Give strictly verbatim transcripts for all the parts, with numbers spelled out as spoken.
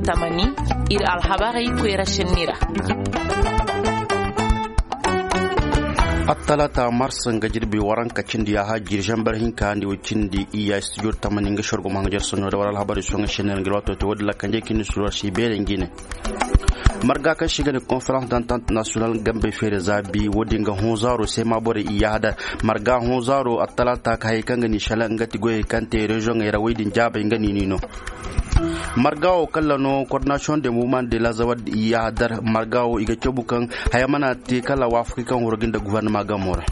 Tamani, ir alhabarey koyra senni ra. Attalaata mars nga jirbi waranka cindi yaaha jiri zambar hinka ndi wo cindi iya studio tamani nga sorgo ma nga jer soɲo da war alhabarey soŋa senni ra nga ir waato te wo- din ra kanjey kindi suruwar si beere ngi ne. Marga kaŋ si ga ne conférence d'entente nationale gambey feere za bi wo- din ga hõ zaaro se ma borey i yaaha dar. Marga hõ zaaro attalaata ka hayey kaŋ ga ni shala nga ti goyey kaŋ te reziyoŋey ra wey din jaabey nga ni ni no. Marga wo kala no coordination de mouvement de lazawad i yaaha dar marga wo i ga cabu kaŋ haya mana te kala waafakey kaŋ horo ga nda gufarnama gamo ra.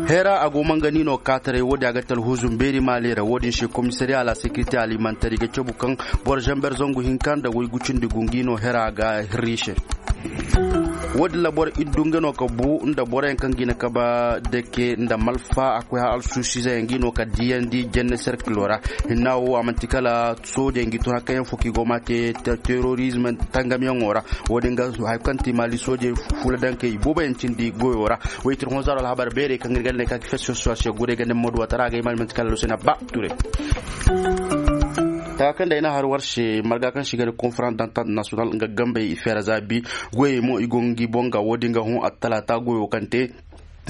Heera a go mangani no kaataray wo- din a ga talhuzum beeri maali ra wo- din se komisariya a la sekirite alimantar i ga cabu kaŋ boro zamber zangu hinka nda woy gucindi gungi no heera ga hirri se. Wo- din ra boro iddu nga no ka bu nda boroyaŋ kaŋ ga i na kaba dake nda malfa a koy har alsuusiizeyaŋ ga i no ka diyandi jenne serkilo ra. Hinna wo a man'ti kala soojey ngi tun hakkayaŋ fo kaŋ i go ma te terorizm tangamyaŋo ra. Wo- din ga haya kaŋ ti maali soojey fuula daŋ kay i booboyaŋ cindi goyo ra. Woy tir honzaro alhabar beerey kaŋ ir ga ne ka fes fes wase guray ga ne maduwatara ga i ma man'ti kala lusena ba ture. Taka kaŋ day na har war se marga kaŋ si ga ne conférence d'entente nationale nga gambey i feera za bi. Goyey mo i go ngi boŋ ga wo- din ga hõ attalaata goyo kaŋ te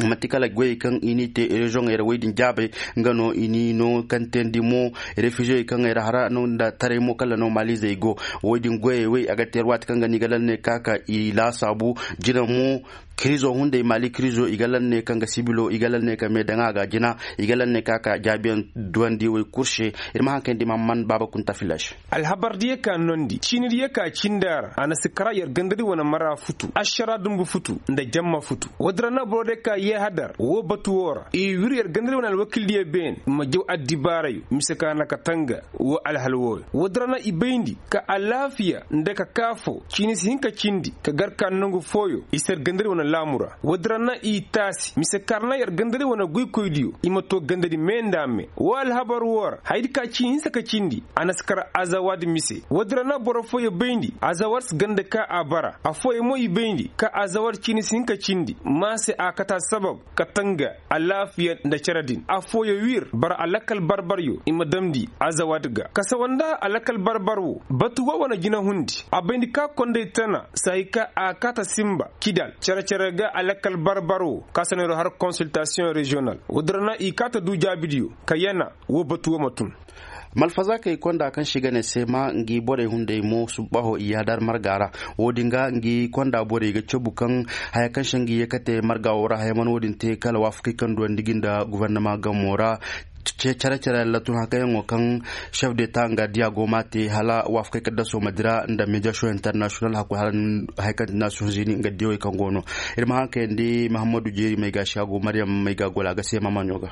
man'ti kala goyey kaŋ i n'i te reziyoŋey ra wey din jaabey. Nga no i n'i no kaŋ teendi mo refiziyey kaŋ ay ra hara no nda taray mo kala no maalizey go. Wey din goyey wey a ga teer waati kaŋ ga no i ga lal ne ka ka i laasaabu. Jina mo kirizo hunday maali kirizo i ga lal ne kaŋ ga sibilo i ga lal ne ka mee daŋ a ga jina. I ga lal ne ka ka jaabiyaŋ duwandi wey kul se. Ir ma haŋ kaŋ di ma man baaba kunta filaš. Alhabar diya ka nondi ciini diya ka cindi a ra a na si kara yer gandadi wane mara futu ašara dumbu futu nda jamma futu. Woodin ra na boro diya ka yeehadar woo batu woo ra i wir yer gandadi wane alwakil diya beene ma jaw addibaarayo mise ka na ka tanga woo alhal wooyo. Woodin ra na i bayndi ka alaafiya nda ka kaafoo ciini si hin ka cindi ka gar ka nongu fooyo i si yer gandadi wane laamu ra. Woodin ra na i taasi mise ka ra na yer gandadi wane goykoydiyo i ma too gandadi mee nda mee woo alhabar woo ra hayadi ka ciini hinsa ka cindi. A na si kar azawad mise woodin ra na boro fooyo bayndi azawad si ganda ka a bara affooyo mo i bayndi ka azawad ciini si hin ka cindi maa se a kate assabab ka tanga alaafiya nda cere din affooyo wir bara alakal barbaryo i ma damndi azawad ga kasawa nda alakal barbar wo batu wo wane jinahundi a bayndi ka konday tana saayi ka a kaata sinba kidal cere-cere ga alakal barbar wo ka sanayro har konsiltasiyoŋ reziyonal woodin ra na i kaata du jaabidiyo ka yana woo batu wo ma tun. Malfazaakey konda kaŋ se i ga ne seema ngi borey hunday mo subbahoo i yaadar marga ra. Woo din ga ngi konda borey ga cabu kaŋ haya kaŋ se ngi ye kate marga woo ra haya mana woo din te kala waafakey kaŋ duwandi gi nda gofornama gamo ra. Cere-cere yaŋ la tun hakayaŋo kaŋ sef de ta nga diya go ma te hala waafakey kaŋ daso ma dira nda mediyasiyoŋ internasiyonal hakkoy hala haya kaŋ ti nasiyoŋ zini nga diyawey kaŋ go no. Ir ma haŋ kayandi mahammadu jeeri may ga si a go mariyam may ga gola ga seema maɲo ga.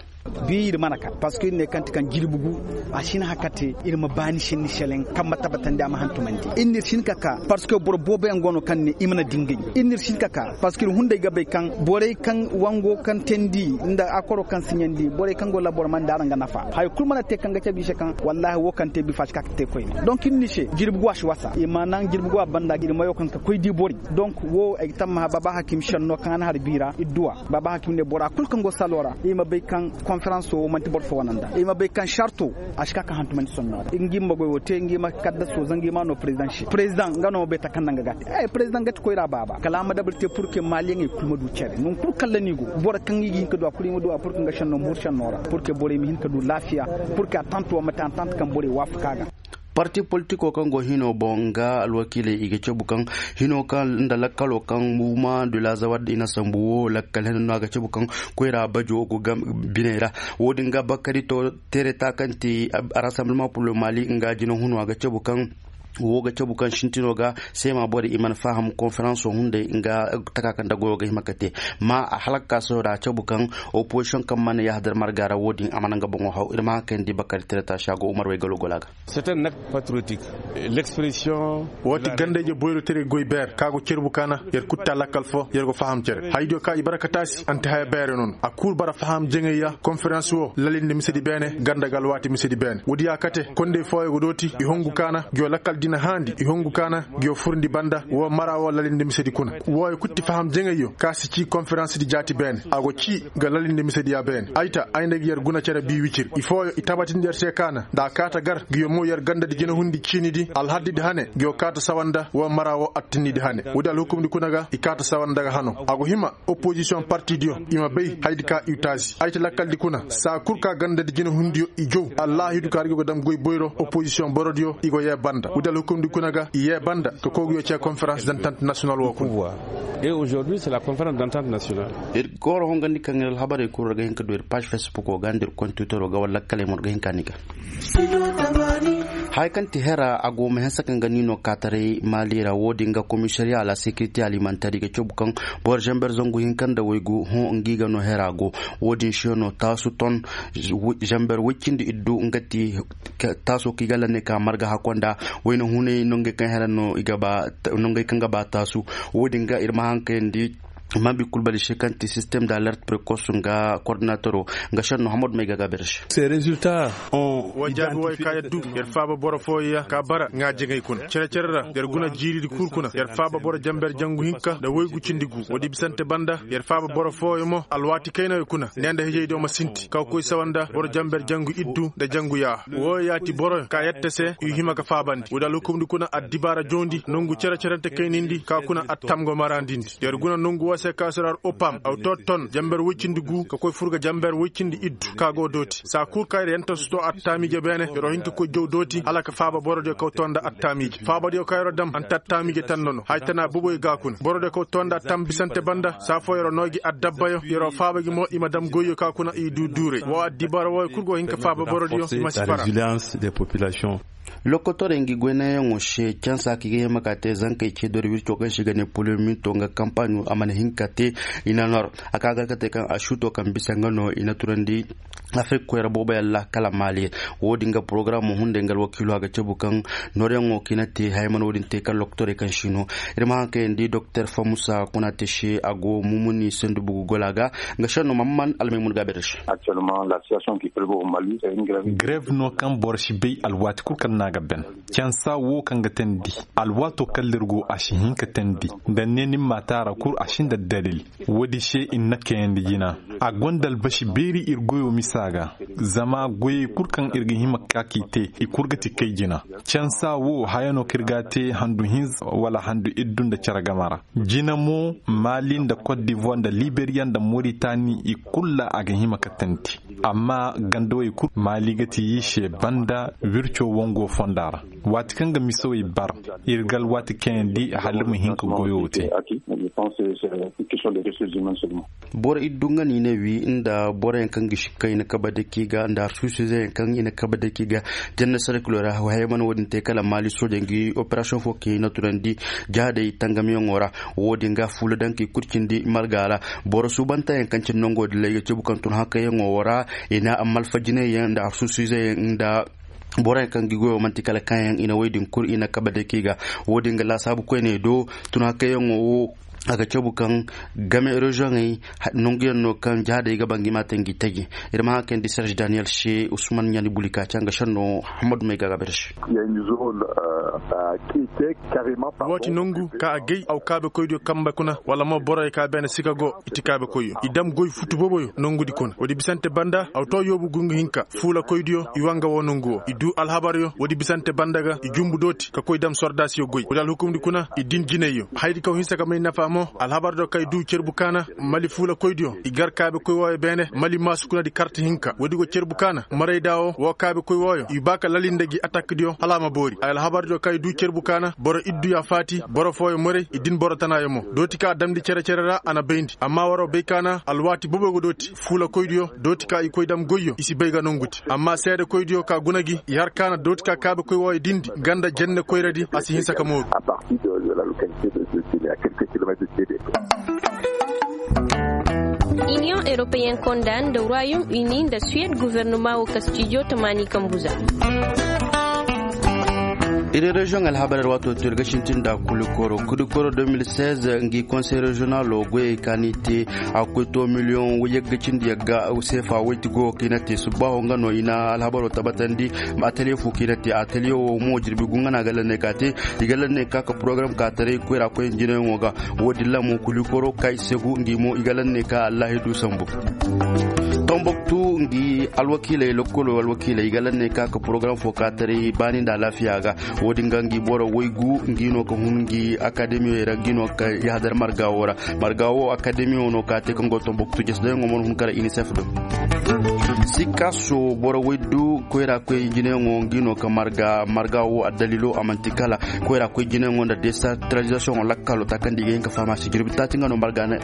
Bi ir mana ka parceque ir ne kaŋ ti kaŋ jirbi gu a si hin haka te ir ma baani senni seleŋ kaŋ ma tabbatandi a ma hantumandi ir n'ir si hin ka ka parceque boro booboyaŋ go no kaŋ ne i mana dingay ir n'ir si hin ka ka parceque ir hunday ga bay kaŋ borey kaŋ wango kaŋ teendi nda akoro kaŋ siɲandi borey kaŋ go labor man da araŋ ga nafa haya kulu mana te kaŋ ga cabe i se kaŋ wallahi wo kaŋ te bifa si ka ka te koyne donc ir ni se jirbi gu a si wasa i ma naŋ jirbi gu a banda ir mayo kaŋ ka koy di borey donc wo ay ga tammaha baba hakim senno kaŋ a na har biira idduwa baba hakim ne bora kulu kaŋ go salo ra i ma bay kaŋ konferanso wo manti boro fo wane nda i ma bay kaŋ sarto a si ka ka hantumandi sonno ra ngi ma goy wo te ngi ma kaddaso zanga i ma no president se president nga no ma bay ta kaŋ nda nga ga te president ga ti koyra baba kala a ma dabari te purke maliyaŋey kulu ma du cere non kulu kalla ni go boro kaŋ i ga hin ka du a kulu i ma du a purke nga senno mur senno ra purke borey ma hin ka du laafiya purke a tante wo ma te a tante kaŋ borey waafaka ga parti politiko kaŋ go hino boŋ nga alwakiiley i ga cabu kaŋ hino kaŋ nda lakkalo kaŋ muma de la zawar da i na sambu wo lakkal hino no a ga cabu kaŋ koyra bajo go biney ra wo- din ga bakari to tereta kaŋ ti rassemblement pour le mali nga jina hunu a ga cabu kaŋ wo ga cabu kaŋ sintino ga seema borey i mana faham konferanso hunday nga taka kaŋ da goyo ga hima ka te ma a halakka soyo da a cabu kaŋ opozisiyoŋ kaŋ mana yahadar marga ra wo- din a mana nga boŋo haw ir ma haŋ kaŋ di bakari tereta si a go umar way galo gola ga. C'est un acte patriotique. L'expression. Woo ti ganda-ije boyro tere goy beer ka go cerbu kaana yer kutta lakkal foo yer go faham cere haydiyo ka i bara ka taasi anti haya beere noon a kul bara faham jeŋay ya konferans woo lalinde misedi beene ganda ga alwaati misedi beene woodi ya kate kondey fooyo go dooti i hongu kaana ngi woo lakkal. i na haandi i hongu kaana. Ngi yo furndi banda woo mara woo lalinde misedi kuna. Wooyo kul ti faham jaŋayyo ka si cii konferans di jaati beene a go cii ga lalinde misedi ya beene ay ta ay nda gi yer guna cere bii wicir i fooyo i tabatindi yer se kaana nda a kaata gar ngi yo mo yer gandadi jinahundi ciinidi alhaddidi hane ngi yo kaata sawa nda woo mara woo attinnidi hane woodi alhukumdi kuna ga i kaata sawa nda ga hano a go hima. Opozisiyoŋ partidiyo i ma bay hayadi ka i taasi ay ti lakkaldi kuna saa kul ka gandadi jinahundiyo i jow. Allaahidu ka ra gi go dam goy boyro opozisiyoŋ borodiyo i go yee banda wudal hukumdi kuna ga i yee banda ka koy ga yoo cee konferans dantant nasiyonal woo kuna. Ir ga war hongandi kaŋ ir alhabarey kul ra ga hin ka du ir paaž fesbukoo ga nda ir kontiwiteroo ga wala lakkaley mo ir ga hin ka ni ga. Haya kaŋ ti hera a go ma hanse kaŋ ga niinoo kaataray maali ra woo din ga komisariya a la sekirite alimantar i ga cabu kaŋ boro zamber zangu hinka nda waygu hõ ngi ga no hera go. Woo din se no taasu ton zamber woy cindi iddu nga ti taasoo kaŋ i ga lanne ka marga hakko nda wayna hunay nongey kaŋ hera no i ga ba nongey kaŋ ga ba taasu. Woo din ga ir ma hankayandi. Mambi kul bali se kaŋ ti sistem da alert prekos nga kordinatoro nga senno hamadu may ga gaber se. Woo jaabi wooyo ka yaddu yer faaba boro fooyo ya ka bara ŋaajeŋey kuna cere-cere ra yer guna jiiridi kul kuna yer faaba boro jamber jangu hinka nda woygu cindi gu woodi bisante banda yer faaba boro fooyo mo alwaati kaynayo kuna ne nda hijaydiyo ma sinti ka koy sawa nda boro jamber jangu iddu nda jangu yaaha. Wooyo yaati boroyo ka yette se i hima ga faabandi woodi alhukumndi kuna addibaara joondi nongu cere-cerente kaynindi ka kuna attam go maraandindi. Yer guna nongu woo se ka suraar opam aw too ton jamber woy cindi gu ka koy fur ga jamber woy cindi iddu ka go dooti saa kul ka yer yentosutoo attaamiije beene yer'o hin ka koy jow dooti hala ka faaba borodiyo kaw too nda attaamiije faabadiyo ka yer'o dam anta attaamiije tanda no haya tana boboyo ga kuna borodiyo kaw too nda attam bisante banda saa foo yer'o noo gi addabbayo yer'o faaba gi mo i ma dam goyyo ka kuna i duu duuray woo addibaara wooyo kul go hin ka faaba borodiyo i ma si fara. Lokotorey ngi goynayaŋo se cansa kaŋ i ga hima ka te zankey ceedori wirco kaŋ se i ga ne polemito nga kampaaɲo a mana hin ka te. I na nor a ka gar ka te kaŋ a suuto kaŋ bisa nga no i na turandi afrik koyra booboyaŋ ra kala maali. Woo din ga porogaramo hunday nga alwakiilo a ga cabu kaŋ noryaŋo kaŋ i na te haya mana woo din te kala lokotorey kaŋ si no. Ir ma haŋ kayandi doktor famusa kuna te se a go mumuni sandu bugu gola ga. Nga senno mamman almaymun ga a bay da se. Grev no kaŋ boro si bay alwaati kul kaŋ no a ga ben. Cansa wo kaŋ ga teendi alwaato kaŋ lirgo a si hin ka teendi nda ne ni ma taara kul a si nda dalil. Woodi se i na kayandi jina a gonda albasi beeri ir goyo misa ga. Zama goyey kul kaŋ ir ga hima ka k'i te i kul ga ti kay jina. Cansa wo haya no kaŋ ir ga a te handu hinza wala handu iddu nda cere game ra. Jina mo maali nda kot divoir nda liberiya nda moritani i kul ra a ga hima ka teendi. Amma gandawey kul maali ga ti yi se banda wirco wango fonda ra. Waati kaŋ ga misawey bar ir ga alwaati kayandi hala ir ma hin ka goyo te. Boro iddu nga no i na wi nda boroyaŋ kaŋ ga sikka i na kabe daki ga nda harsuusizeyaŋ kaŋ i na kabe daki ga. Janna sarkilo ra haya mana wo-din te kala maali sooja ngi operasiyoŋ fo kaŋ i na tunandi jahadey tangamiyaŋo ra. Wo-din ga fuula daŋ ka i kul cindi marga ra. Boro suubantayaŋ kaŋ cindi nongo dilay ga cabu kaŋ tun hakayyaŋo wo ra i na malfajinayyaŋ nda harsuusizeyaŋ nda boroyaŋ kaŋ gi goyo man'ti kala kaayaŋ i na woy din kul i na kabe dake ga. Wo-din ga laasaabu koyney do tun hakayyaŋo wo a ga cabu kaŋ game reziyoŋey nanguyaŋ no kaŋ jahadey ga ba ngi ma te ngi taji. Ir ma haŋ kayandi serge daniyel se usman ɲaani buli ka caŋ ga senno hammadu may ga gabe da se. Waati nangu ka a gay aw kaabekoydiyo kambe kuna wala mo boroyo ka beene sika go i ti kaabekoyyo i dam goy futu boboyo nongudi kuna woodi bisante banda aw to yoobu gungu hinka fuulakoydiyo i wa nga woo nongu woo i duu alhabaryo woodi bisante banda ga i jumbu dooti ka koy dam sordaasiyo goy woodi alhukumdi kuna i din jinayyo hayadi kaw hinsa ka may nafa mo alhabardiyo kaŋ i duu cerbu kaana mali fuulakoydiyo i gar kaabekoy wooyo beene mali maasu kuna di karti hinka woodi go cerbu kaana marayda woo woo kaabekoy wooyo i baa ka lalinde gi atakdiyo hala a ma boori ay alhabardiyo kaŋ i duu cerbu kaana boro iddu ya faati boro fooyo maray i din boro tanaayo mo dooti kaŋ a damndi cere-cere ra a na bayndi amma waroo bay kaana alwaati boboyo go dooti fuulakoydiyo dooti ka i koy dam goyyo i si bay ga nongudi amma seedekoydiyo ka guna gi i har kaana dooti ka kaabekoy wooyo dindi ganda jenne koyradi a si hinsa ka mooru. Iniyoŋ eropeyen konda nda royom uni nda suwed guvernoma wo ka stijo tamaani kambuza. Ir reziyoŋ alhabar ra waato to ir ga sintin nda kulikoro kulikoro deux mille seize ngi konsey reziyonalo goyey ka ni te a ga koy to miliyoŋ yagga cindi yagga seefa woydi go kaŋ i na te subbaaho nga no i na alhabaro tabbatandi. Ateliye fo kaŋ i na te ateliye wo mo jirbi gu nga no a ga lanney ka te i ga lanney ka ka porogaram ka taray koyra koy jinayyaŋo ga. Wo- din ra mo kulikoro ka i se gu ngi mo i ga lanney ka allahi du sambu. Tomboktu ngi alwakiiley lokkolo alwakiiley i ga lanney ka ka porogaram fo ka taray baani nda alaafiya ga. Wo- din ga ngi boro waygu ngi no ka hun ngi akademiyey ra ngi no ka yahadar marga wo ra. Marga wo akademiyo no ka te kaŋ go tomboktu jesi dayaŋo mana hun kara inisef do. Sikaso boro waydu koyra koy jineyaŋo ngi no ka marga marga wo addalilo a manti kala koyra koy jineyaŋo nda desantaralizasiyoŋo lakkalo ta kaŋ da i ga hin ka faham a se jirbi taati nga no marga a na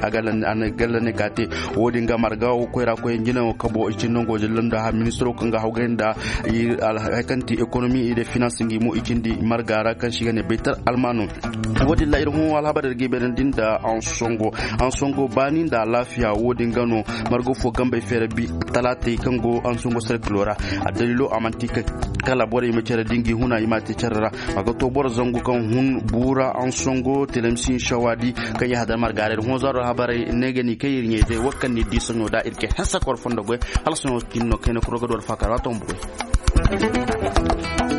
galla ne ka te. Wo- din ga marga wo koyra koy jineyaŋo kabo i cindi nango jillo nda ha ministiro kaŋ ga hawgay nda hari kaŋ ti ekonomi i de finans ngi mo i cindi marga ra kaŋ se i ga ne baytar almano. Wo- din ra ir hõ alhabar ir ga i bayrandi nda ansongo ansongo baani nda alaafiya wo- din ga no margo fo gambey feera bi talaatey kaŋ go ansongo sarkilo ra. Addalilo a manti ka kala borey ma care da ngi huna i ma te care ra. A ga to boro zangu kaŋ hun buura ansongo telemsin sawaadi kaŋ i hadar marga ra ir hõ zaaro alhabarey ne ga ni kay ir ɲey day wo kaŋ ni di soɲo da ir ga hanse kor fondo goy. Hala soɲo cindi no kayna kuro ga du alfaakar waato ma bugoy.